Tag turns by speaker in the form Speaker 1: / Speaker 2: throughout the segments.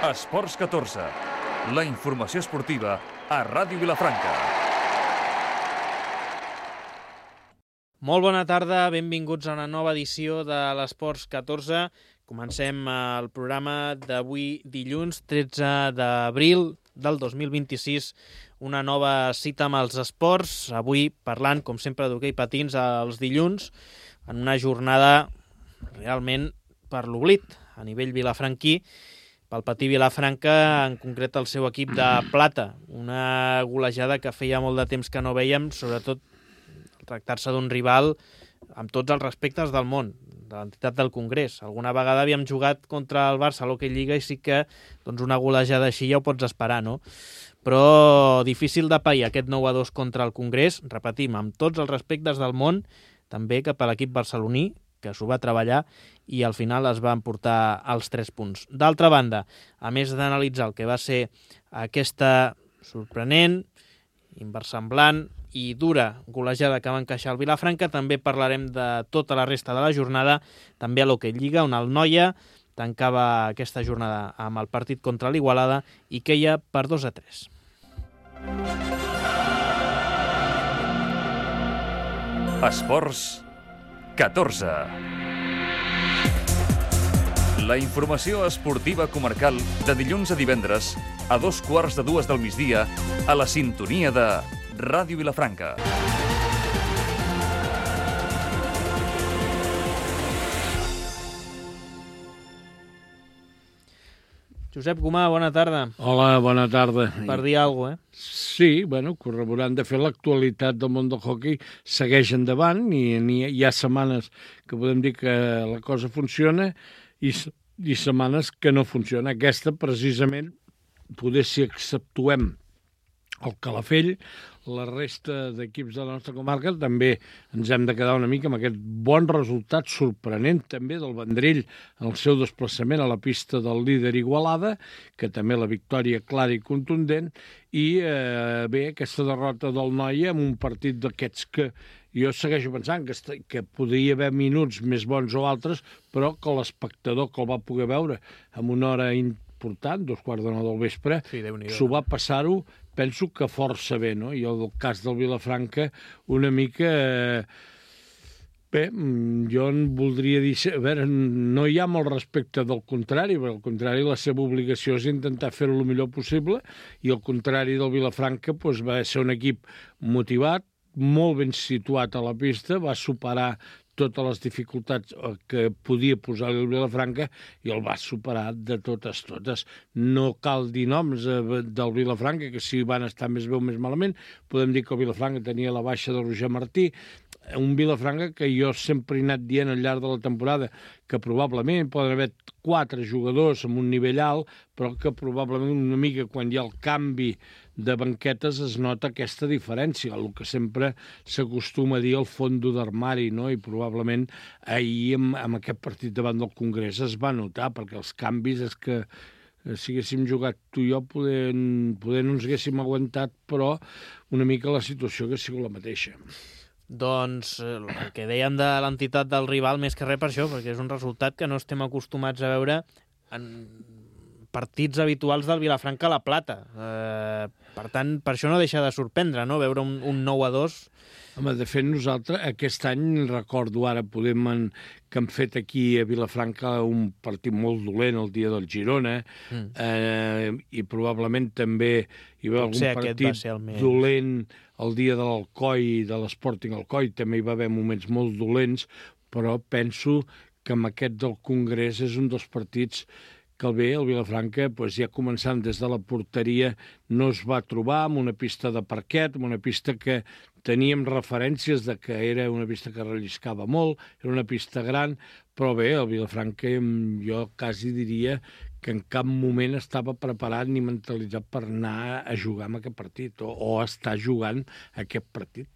Speaker 1: Esports 14, la informació esportiva a Ràdio Vilafranca.
Speaker 2: Molt bona tarda, benvinguts a una nova edició de l'Esports 14. Comencem el programa d'avui dilluns 13 d'abril del 2026, una nova cita amb els esports, avui parlant, com sempre, d'hoquei patins els dilluns, en una jornada realment per l'oblit a nivell vilafranquí, pel patí Vilafranca, en concret el seu equip de plata. Una golejada que feia molt de temps que no vèiem, sobretot tractar-se d'un rival amb tots els respectes del món, de l'entitat del Congrés. Alguna vegada havíem jugat contra el Barça a l'Hockey Lliga i sí que una golejada així ja ho pots esperar, no? Però difícil de pair aquest 9-2 contra el Congrés, repetim, amb tots els respectes del món, també cap a l'equip barceloní, que s'ho va treballar i al final es va emportar els 3 punts. D'altra banda, a més d'analitzar el que va ser aquesta sorprenent, inversemblant i dura golejada que va encaixar el Vilafranca, també parlarem de tota la resta de la jornada, també a l'Hockey Lliga, on el Noia tancava aquesta jornada amb el partit contra l'Igualada i queia per 2-3.
Speaker 1: Esports 14. La informació esportiva comarcal de dilluns a divendres a 2:15 del migdia a la sintonia de Ràdio Vilafranca.
Speaker 2: Josep Gomà, bona tarda.
Speaker 3: Hola, bona tarda.
Speaker 2: Per dir alguna cosa,
Speaker 3: Sí, corroborant de fer l'actualitat del món del hoquei segueix endavant i hi ha setmanes que podem dir que la cosa funciona i setmanes que no funciona. Aquesta, precisament, poder si exceptuem el Calafell, la resta d'equips de la nostra comarca també ens hem de quedar una mica amb aquest bon resultat sorprenent també del Vendrell en el seu desplaçament a la pista del líder Igualada, que també la victòria clara i contundent, i aquesta derrota del Noia en un partit d'aquests que jo segueixo pensant que podria haver minuts més bons o altres, però que l'espectador que el va poder veure en una hora important, 2:15 del vespre,
Speaker 2: sí,
Speaker 3: s'ho va passar-ho, penso que força bé, no? I el cas del Vilafranca una mica... Bé, jo en voldria dir... A veure, no hi ha molt respecte del contrari, però al contrari la seva obligació és intentar fer-ho el millor possible, i al contrari del Vilafranca va ser un equip motivat, molt ben situat a la pista, va superar totes les dificultats que podia posar-li el Vilafranca i el va superar de totes. No cal dir noms del Vilafranca, que si van estar més bé o més malament. Podem dir que el Vilafranca tenia la baixa de Roger Martí, un Vilafranca que jo sempre he anat dient al llarg de la temporada que probablement poden haver 4 jugadors amb un nivell alt, però que probablement una mica quan hi ha el canvi de banquetes es nota aquesta diferència, el que sempre s'acostuma a dir el fondo d'armari, no? I probablement ahir amb aquest partit davant del Congrés es va notar, perquè els canvis és que si haguéssim jugat tu i jo poder no ens haguéssim aguantat, però una mica la situació hagués sigut la mateixa.
Speaker 2: Doncs el que dèiem de l'entitat del rival, més que res per això, perquè és un resultat que no estem acostumats a veure en partits habituals del Vilafranca a la Plata. Per tant, per això no deixa de sorprendre, no?, veure un 9-2.
Speaker 3: Home, de fet, nosaltres aquest any, recordo ara, que hem fet aquí a Vilafranca un partit molt dolent el dia del Girona, i probablement també hi va algun partit dolent el dia de l'Alcoi, de l'Sporting Alcoi, també hi va haver moments molt dolents, però penso que amb aquest del Congrés és un dels partits que el Vilafranca, ja començant des de la porteria, no es va trobar amb una pista de parquet, amb una pista que teníem referències de que era una pista que relliscava molt, era una pista gran, però bé, el Vilafranca jo quasi diria que en cap moment estava preparat ni mentalitzat per anar a jugar en aquest partit o estar jugant aquest partit.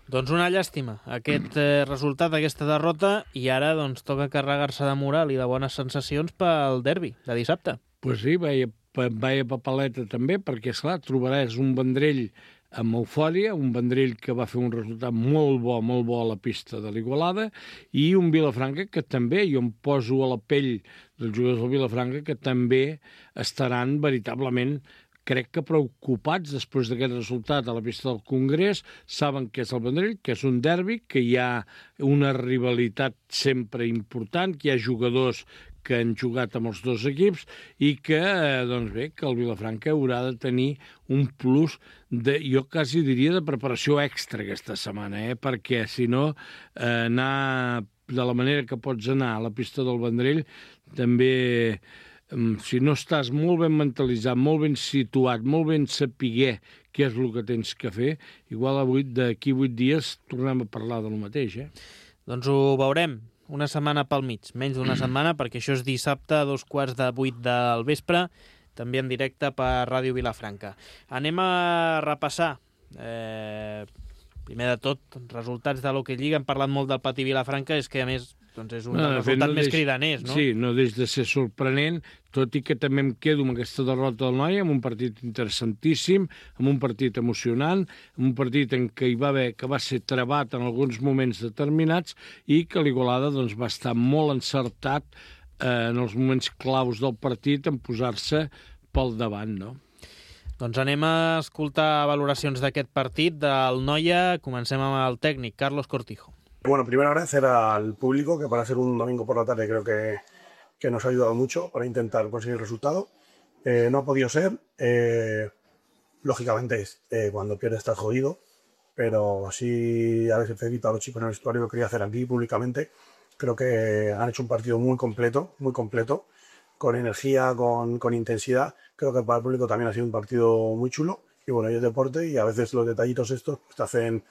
Speaker 2: Doncs una llàstima, aquest resultat, aquesta derrota, i ara toca carregar-se de moral i de bones sensacions pel derbi de dissabte.
Speaker 3: Pues sí, veia papaleta també, perquè, esclar, trobaràs un Vendrell amb eufòria, un Vendrell que va fer un resultat molt bo a la pista de l'Igualada, i un Vilafranca que també, jo em poso a la pell dels jugadors del Vilafranca, que també estaran veritablement, crec que preocupats després d'aquest resultat a la pista del Congrés. Saben que és el Vendrell, que és un derbi, que hi ha una rivalitat sempre important, que hi ha jugadors que han jugat amb els dos equips i que, doncs bé, que el Vilafranca haurà de tenir un plus de, jo quasi diria, de preparació extra aquesta setmana, perquè si no, anar de la manera que pots anar a la pista del Vendrell, també, si no estàs molt ben mentalitzat, molt ben situat, molt ben sapiguer què és el que tens que fer, igual d'aquí 8 dies tornem a parlar del mateix,
Speaker 2: Doncs ho veurem. Una setmana pel mig, menys d'una setmana, perquè això és dissabte a 7:15 del vespre, també en directe per Ràdio Vilafranca. Anem a repassar, primer de tot, resultats de l'Hockey Lliga. Hem parlat molt del Patí Vilafranca, és que a més doncs és un dels resultats més cridaners, no?
Speaker 3: Sí, no deix de ser sorprenent, tot i que també em quedo amb aquesta derrota del Noia, amb un partit interessantíssim, amb un partit emocionant, amb un partit en què hi va haver, que va ser trebat en alguns moments determinats, i que l'Igualada doncs, va estar molt encertat en els moments claus del partit en posar-se pel davant, no?
Speaker 2: Doncs anem a escoltar valoracions d'aquest partit del Noia. Comencem amb el tècnic, Carlos Cortijo.
Speaker 4: Bueno, primero agradecer al público, que para ser un domingo por la tarde creo que nos ha ayudado mucho para intentar conseguir el resultado. No ha podido ser. Lógicamente, cuando pierdes estás jodido, pero sí a veces felicito a los chicos en el vestuario, lo quería hacer aquí públicamente. Creo que han hecho un partido muy completo, con energía, con intensidad. Creo que para el público también ha sido un partido muy chulo. Y bueno, y es deporte y a veces los detallitos estos te hacen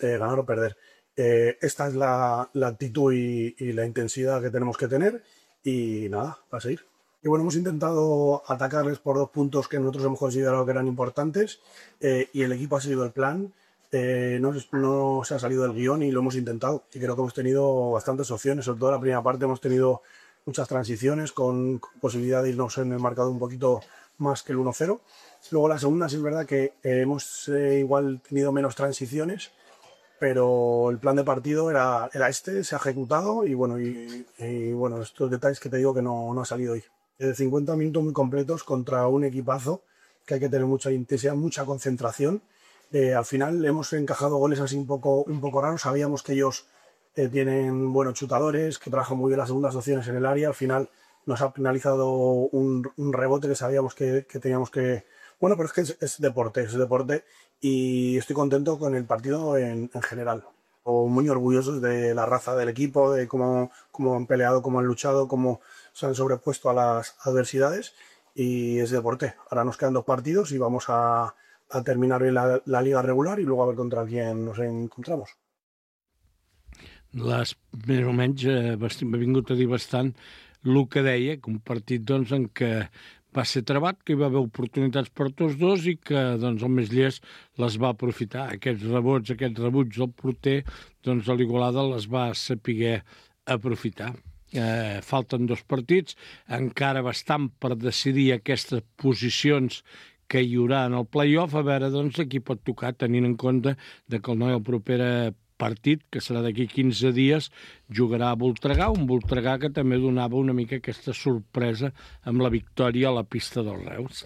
Speaker 4: ganar o perder. Esta es la actitud y la intensidad que tenemos que tener y nada, a seguir. Y bueno, hemos intentado atacarles por 2 puntos que nosotros hemos considerado que eran importantes y el equipo ha seguido el plan, no se ha salido del guión y lo hemos intentado. Y creo que hemos tenido bastantes opciones, sobre todo en la primera parte hemos tenido muchas transiciones con posibilidad de irnos en el marcador un poquito más que el 1-0. Luego la segunda sí es verdad que hemos igual tenido menos transiciones, pero el plan de partido era este, se ha ejecutado y bueno, estos detalles que te digo que no ha salido hoy. 50 minutos muy completos contra un equipazo que hay que tener mucha intensidad, mucha concentración. Al final hemos encajado goles así un poco raros, sabíamos que ellos tienen buenos chutadores, que trabajan muy bien las segundas opciones en el área. Al final nos ha penalizado un rebote que sabíamos que teníamos que... Bueno, pero es que es deporte y estoy contento con el partido en general. Muy orgullosos de la raza del equipo, de cómo han peleado, cómo han luchado, cómo se han sobrepuesto a las adversidades y es deporte. Ahora nos quedan 2 partidos y vamos a terminar bien la liga regular y luego a ver contra quién nos encontramos.
Speaker 3: Més o menys m'ha vingut a dir bastant el que deia, que un partit doncs, en què va ser trebat, que hi va haver oportunitats per tots dos i que doncs, el més llest les va aprofitar. Aquests rebots, aquests rebuts del porter, doncs l'Igualada les va saber aprofitar. Falten 2 partits, encara bastant per decidir aquestes posicions que hi haurà en el play-off, a veure doncs, a qui pot tocar, tenint en compte que el Noia el proper partit, que serà d'aquí 15 dies, jugarà a Voltregà, un Voltregà que també donava una mica aquesta sorpresa amb la victòria a la pista dels Reus.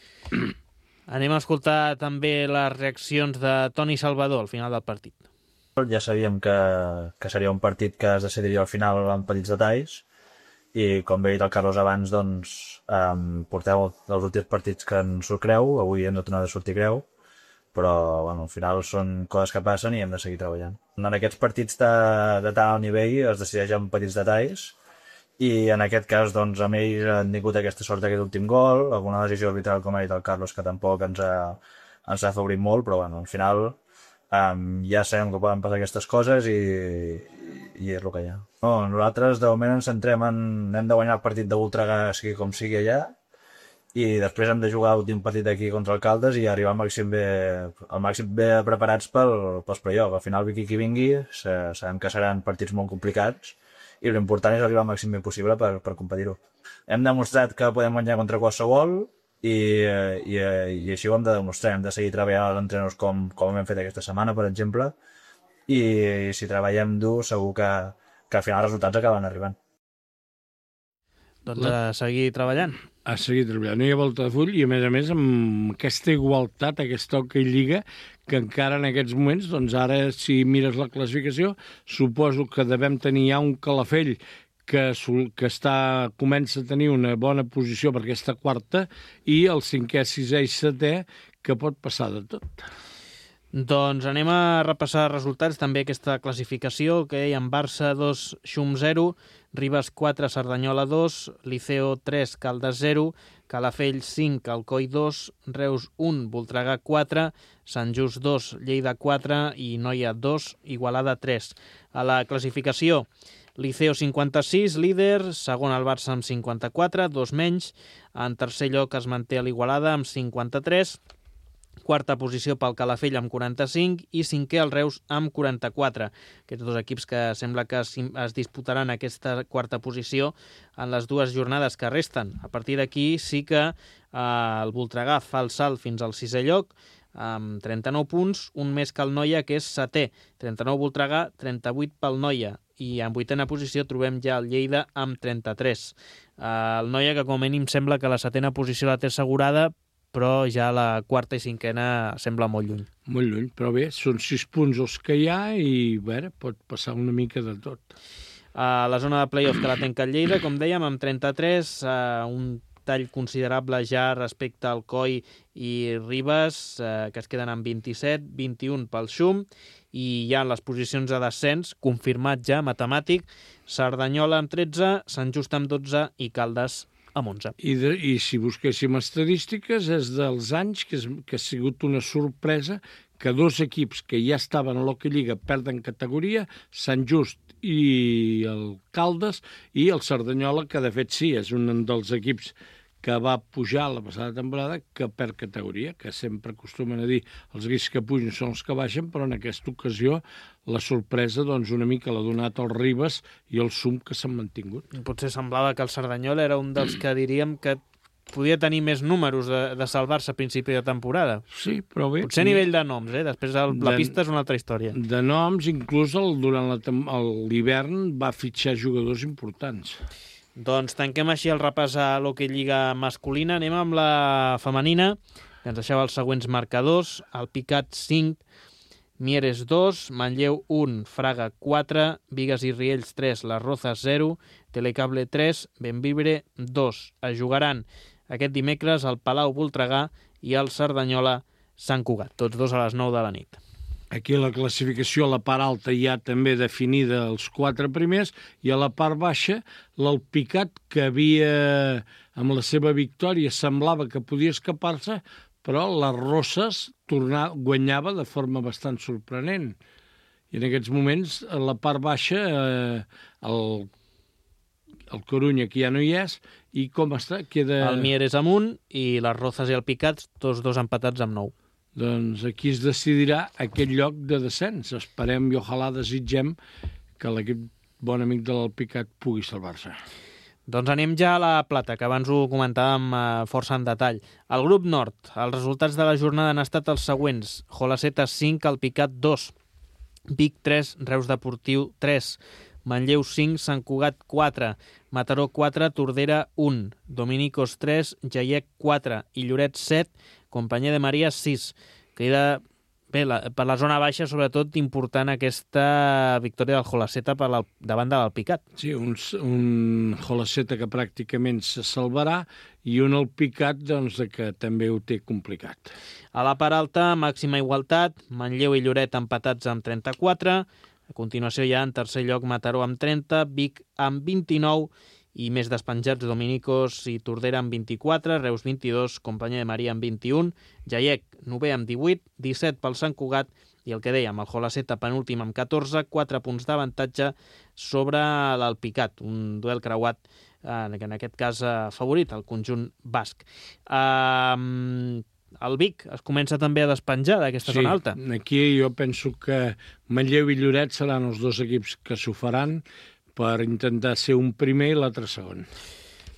Speaker 2: Anem a escoltar també les reaccions de Toni Salvador al final del partit.
Speaker 5: Ja sabíem que seria un partit que es decidiria al final amb petits detalls i com bé ha dit el Carlos abans, doncs porteu els últims partits que ens surt creu, avui hem de tornar a sortir creu, però bueno, al final són coses que passen i hem de seguir treballant. En aquests partits de tant alt nivell es decideix amb petits detalls i en aquest cas doncs, amb ells han tingut aquesta sort d'aquest últim gol, alguna decisió arbitral com ha dit el Carlos que tampoc ens ha afavorit molt, però bueno, al final ja sabem que poden passar aquestes coses i és el que hi ha. No, nosaltres de moment ens centrem hem de guanyar el partit de Voltregà sigui com sigui allà i després hem de jugar l'últim partit aquí contra el Caldes i arribar al màxim bé preparats pels play-off. Al final, qui vingui, sabem que seran partits molt complicats i l'important és arribar al màxim bé possible per competir-ho. Hem demostrat que podem guanyar contra qualsevol i així ho hem de demostrar, hem de seguir treballant els entrenadors com hem fet aquesta setmana, per exemple, i si treballem dur segur que al final els resultats acaben arribant.
Speaker 2: Doncs a seguir treballant.
Speaker 3: A seguir treballant. No hi ha volta de full i, a més, amb aquesta igualtat, aquesta hoquei lliga, que encara en aquests moments, doncs ara, si mires la classificació, suposo que devem tenir ja un Calafell que comença a tenir una bona posició perquè està quarta, i el 5è, 6è i 7è, que pot passar de tot.
Speaker 2: Doncs anem a repassar resultats, també aquesta classificació, que hi ha Barça 2, Xum 0, Ribes 4, Cerdanyola 2, Liceo 3, Caldes 0, Calafell 5, Alcoi 2, Reus 1, Voltregà 4, Sant Just 2, Lleida 4 i Noia 2, Igualada 3. A la classificació, Liceo 56, líder, segon el Barça amb 54, 2 menys, en tercer lloc es manté l'Igualada amb 53, quarta posició pel Calafell amb 45 i cinquè el Reus amb 44. Aquests dos equips que sembla que es disputaran aquesta quarta posició en les dues jornades que resten. A partir d'aquí sí que el Voltregà fa el salt fins al 6è lloc amb 39 punts, un més que el Noia, que és setè. 39 Voltregà, 38 pel Noia. I en 8a posició trobem ja el Lleida amb 33. El Noia, que com a mínim sembla que la 7a posició la té assegurada, però ja la quarta i 5a sembla molt lluny.
Speaker 3: Molt lluny, però bé, són 6 punts els que hi ha i, bé, pot passar una mica de tot.
Speaker 2: A la zona de play-off que la tanca el Lleida, com dèiem, amb 33, un tall considerable ja respecte al Coi i Ribes, que es queden amb 27, 21 pel Xum, i ja en les posicions de descens, confirmat ja, matemàtic, Cerdanyola amb 13, Sant Just amb 12 i Caldes amb 11.
Speaker 3: I si busquéssim estadístiques, és dels anys que ha sigut una sorpresa que dos equips que ja estaven a l'Hockey Lliga perden categoria, Sant Just i el Caldes, i el Cerdanyola, que de fet sí, és un dels equips que va pujar la passada temporada, que perd categoria, que sempre acostumen a dir els equips que pugen són els que baixen, però en aquesta ocasió la sorpresa doncs una mica l'ha donat el Ribes i el Xum, que s'han mantingut.
Speaker 2: Potser semblava que el Cerdanyola era un dels que diríem que podia tenir més números de salvar-se a principi de temporada.
Speaker 3: Sí, però bé...
Speaker 2: Potser a nivell de noms, després la pista és una altra història.
Speaker 3: De noms, inclús durant l'hivern va fitxar jugadors importants.
Speaker 2: Doncs tanquem així el repàs a l'Hockey Lliga masculina. Anem amb la femenina, que ens deixava els següents marcadors. El Picat 5, Mieres 2, Manlleu 1, Fraga 4, Bigues i Riells 3, Les Rozas 0, Telecable 3, Benvibre 2. Es jugaran aquest dimecres al Palau Voltregà i al Cerdanyola Sant Cugat, tots dos a les 9 de la nit.
Speaker 3: Aquí a la classificació, a la part alta, hi ha també definida els 4 primers, i a la part baixa, l'Alpicat, que havia, amb la seva victòria, semblava que podia escapar-se, però les Roses guanyava de forma bastant sorprenent. I en aquests moments, a la part baixa, el Corunya, que ja no hi és, i com està? Queda...
Speaker 2: El Mieres amb 1 i les Rozas i el Picat, tots dos empatats amb 9.
Speaker 3: Doncs aquí es decidirà aquest lloc de descens. Esperem i ojalà desitgem que l'equip bon amic de l'Alpicat pugui salvar-se.
Speaker 2: Doncs anem ja a la plata, que abans ho comentàvem força en detall. El grup nord, els resultats de la jornada han estat els següents. Jolaceta 5, Alpicat 2, Vic 3, Reus Deportiu 3, Manlleu 5, Sant Cugat 4, Mataró 4, Tordera 1, Dominicos 3, Jaiec 4 i Lloret 7, Companyia de Maria 6. Queda bé, per la zona baixa, sobretot, important aquesta victòria del Jolaceta davant de l'Alpicat.
Speaker 3: Sí, un Jolaceta que pràcticament se salvarà i un Alpicat doncs, que també ho té complicat.
Speaker 2: A la part alta, màxima igualtat, Manlleu i Lloret empatats amb 34, a continuació ja en tercer lloc Mataró amb 30, Vic amb 29 i més despenjats Dominicos i Tordera amb 24, Reus 22, Companyia de Maria amb 21, Jaiec 9 amb 18, 17 pel Sant Cugat i el que dèiem, el Jolaceta penúltim amb 14, 4 punts d'avantatge sobre l'Alpicat, un duel creuat en aquest cas favorit, el conjunt basc. El Vic es comença també a despenjar d'aquesta zona alta.
Speaker 3: Sí, aquí jo penso que Manlleu i Lloret seran els dos equips que s'ho faran per intentar ser un primer i l'altre segon.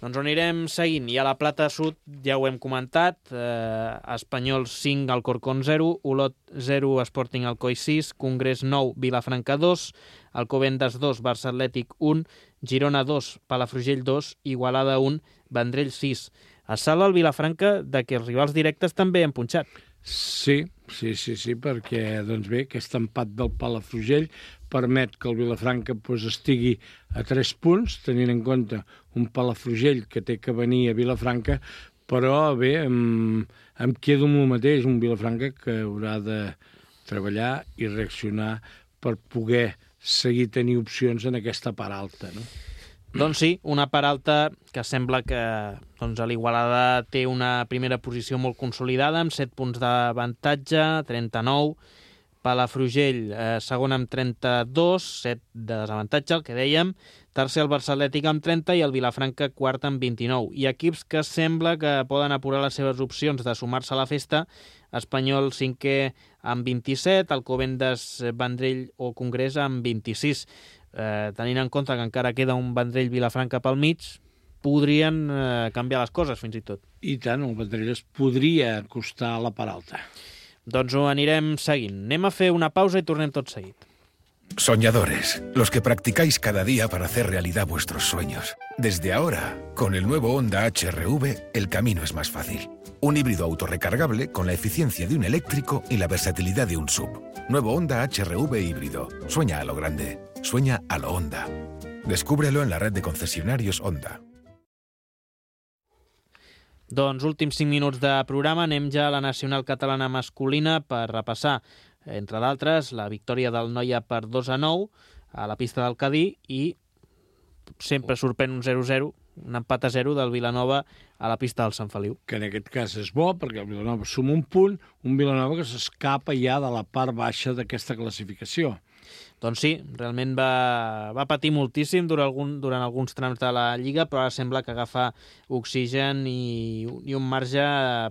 Speaker 2: Doncs ho anirem seguint. I a la Plata Sud ja ho hem comentat, Espanyol 5, Alcorcón 0, Olot 0, Sporting Alcoi 6, Congrés 9, Vilafranca 2, Alcobendas 2, Barça Atlètic 1, Girona 2, Palafrugell 2, Igualada 1, Vendrell 6. Es salva el Vilafranca de que els rivals directes també han punxat.
Speaker 3: Sí, perquè doncs bé, aquest empat del Palafrugell permet que el Vilafranca estigui a 3 punts, tenint en compte un Palafrugell que té que venir a Vilafranca, però bé, em quedo amb el mateix, un Vilafranca que haurà de treballar i reaccionar per poder seguir tenir opcions en aquesta part alta, no?
Speaker 2: Doncs sí, una part alta que sembla que l'Igualada té una primera posició molt consolidada, amb 7 punts d'avantatge, 39. Palafrugell, segon amb 32, 7 de desavantatge, el que dèiem. Tercer el Barça Atlètic amb 30 i el Vilafranca quart amb 29. I equips que sembla que poden apurar les seves opcions de sumar-se a la festa. Espanyol cinquè amb 27, Alcobendas, Vendrell o Congrés amb 26. Tenint en compte que encara queda un Vendrell-Vilafranca pel mig, podrien canviar les coses fins i tot.
Speaker 3: I tant, el Vendrell es podria acostar a la part alta.
Speaker 2: Doncs ho anirem seguint. Anem a fer una pausa i tornem tot seguit.
Speaker 6: Soñadores, los que practicáis cada día para hacer realidad vuestros sueños. Desde ahora, con el nuevo Honda HR-V, el camino es más fácil. Un híbrido autorrecargable con la eficiencia de un eléctrico y la versatilidad de un SUV. Nuevo Honda HR-V híbrido. Sueña a lo grande. Sueña a lo Honda. Descúbrelo en la red de concesionarios Honda.
Speaker 2: Doncs últims 5 minuts de programa, anem ja a la nacional catalana masculina per repassar, entre d'altres, la victòria del Noia per 2-9 a la pista del Cadí i sempre sorprèn un 0-0, un empat a 0 del Vilanova a la pista del Sant Feliu.
Speaker 3: Que en aquest cas és bo, perquè el Vilanova suma un punt, un Vilanova que s'escapa ja de la part baixa d'aquesta classificació.
Speaker 2: Doncs sí, realment va patir moltíssim durant alguns trams de la Lliga, però ara sembla que agafa oxigen i un marge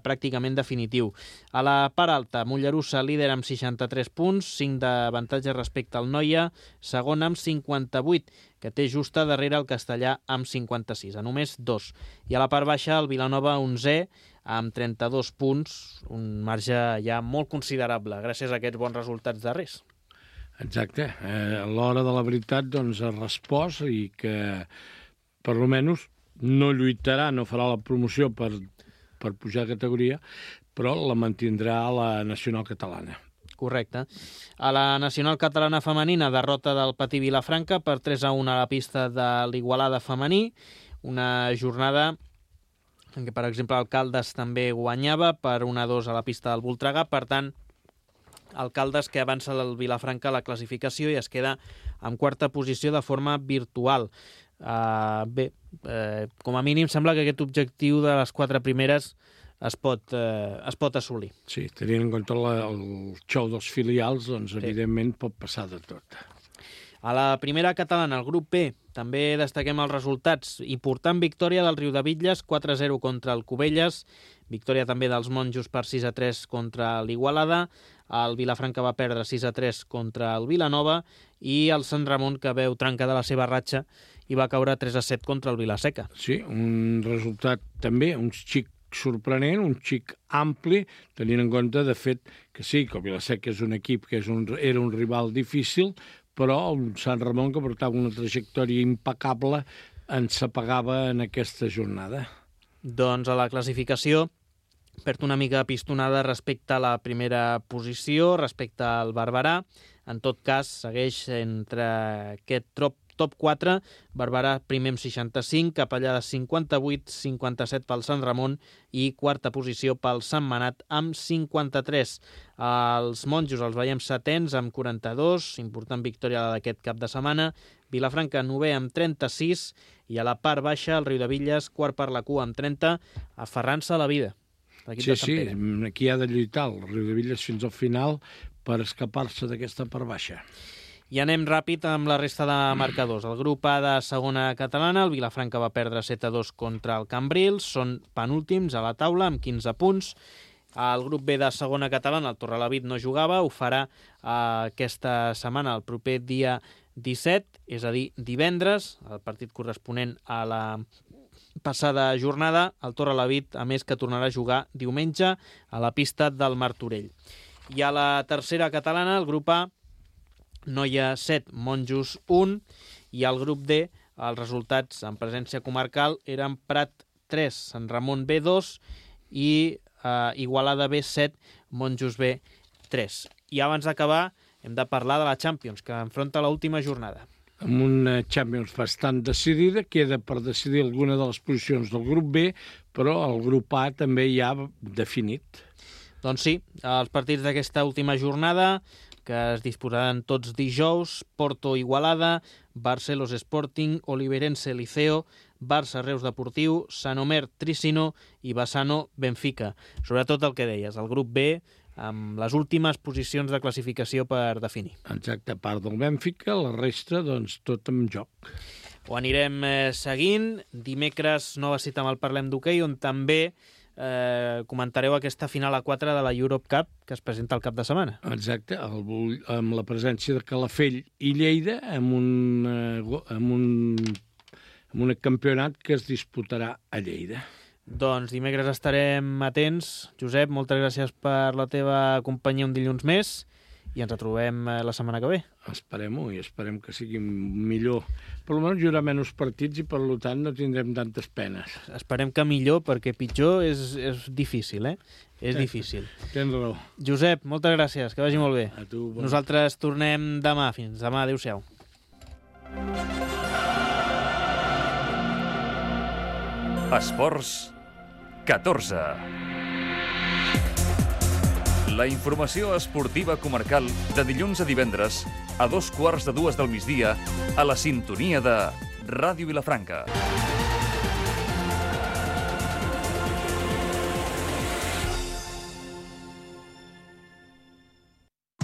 Speaker 2: pràcticament definitiu. A la part alta, Mollerussa líder amb 63 punts, 5 d'avantatge respecte al Noia, segon amb 58, que té justa darrere el Castellà amb 56, a només 2. I a la part baixa, el Vilanova 11, amb 32 punts, un marge ja molt considerable, gràcies a aquests bons resultats darrers.
Speaker 3: Exacte. A l'hora de la veritat doncs ha respost i que per almenys no lluitarà, no farà la promoció per pujar de categoria, però la mantindrà a la nacional catalana.
Speaker 2: Correcte. A la nacional catalana femenina, derrota del Patí Vilafranca per 3-1 a la pista de l'Igualada femení, una jornada en què, per exemple, el Caldes també guanyava per 1-2 a la pista del Voltregà, per tant, el Caldes que avança el Vilafranca a la classificació i es queda en quarta posició de forma virtual. Com a mínim sembla que aquest objectiu de les 4 primeres es pot assolir.
Speaker 3: Sí, tenint en compte el xou dels filials, doncs evidentment pot passar de tot.
Speaker 2: A la primera catalana, el grup B, també destaquem els resultats. Important victòria del Riudebitlles, 4-0 contra el Cubelles, victòria també dels Monjos per 6-3 contra l'Igualada, el Vilafranca va perdre 6-3 contra el Vilanova i el Sant Ramon, que veu trencada la seva ratxa i va caure 3-7 contra el Vilaseca.
Speaker 3: Sí, un resultat també, un xic sorprenent, un xic ampli, tenint en compte, de fet, que sí, que el Vilaseca és un equip que era un rival difícil, però el Sant Ramon, que portava una trajectòria impecable, ens apagava en aquesta jornada.
Speaker 2: Doncs a la classificació perd una mica pistonada respecte a la primera posició, respecte al Barberà. En tot cas, segueix entre aquest top 4, Barberà primer amb 65, Capellà de 58, 57 pel Sant Ramon i quarta posició pel Sant Manat amb 53. Els Monjos els veiem setens amb 42, important victòria d'aquest cap de setmana. Vilafranca 9è amb 36 i a la part baixa el Riudebitlles quart per la cua amb 30, aferrant-se a la vida.
Speaker 3: Sí, aquí ha de lluitar el Riudebitlles fins al final per escapar-se d'aquesta part baixa.
Speaker 2: I anem ràpid amb la resta de marcadors. El grup A de segona catalana, el Vilafranca va perdre 7-2 contra el Cambrils, són penúltims a la taula amb 15 punts. El grup B de segona catalana, el Torrelavit no jugava, ho farà aquesta setmana, el proper dia 17, és a dir, divendres, el partit corresponent a la passada jornada, el Torrelavit, a més que tornarà a jugar diumenge a la pista del Martorell. I a la tercera catalana, el grup A, Noia 7, Monjos 1, i al grup D, els resultats en presència comarcal eren Prat 3, Sant Ramon B 2 i Igualada B 7, Monjos B 3. I abans d'acabar hem de parlar de la Champions, que enfronta l'última jornada.
Speaker 3: Amb una Champions bastant decidida, queda per decidir alguna de les posicions del grup B, però el grup A també ja definit.
Speaker 2: Doncs sí, els partits d'aquesta última jornada, que es disputaran tots dijous, Porto-Igualada, Barcelos Sporting, Oliveirense Liceo, Barça Reus Deportiu, Sant Omer Tricino i Bassano Benfica. Sobretot el que deies, el grup B, amb les últimes posicions de classificació per definir.
Speaker 3: Exacte, a part del Benfica, la resta, doncs, tot en joc.
Speaker 2: Ho anirem seguint. Dimecres, nova cita amb el Parlem d'Hoquei, on també comentareu aquesta final a 4 de la Europe Cup que es presenta el cap de setmana.
Speaker 3: Exacte, amb la presència de Calafell i Lleida amb un campionat que es disputarà a Lleida.
Speaker 2: Doncs dimecres estarem atents. Josep, moltes gràcies per la teva companyia un dilluns més i ens retrobem la setmana que ve.
Speaker 3: Esperem-ho i esperem que sigui millor. Per almenys hi haurà menys partits i per tant no tindrem tantes penes.
Speaker 2: Esperem que millor, perquè pitjor és difícil, És difícil.
Speaker 3: Tens raó.
Speaker 2: Josep, moltes gràcies, que vagi molt bé.
Speaker 3: A tu,
Speaker 2: Nosaltres tornem demà. Fins demà, adéu-siau.
Speaker 1: Esports 14. La informació esportiva comarcal de dilluns a divendres a 2:15 del migdia a la sintonia de Ràdio Vilafranca.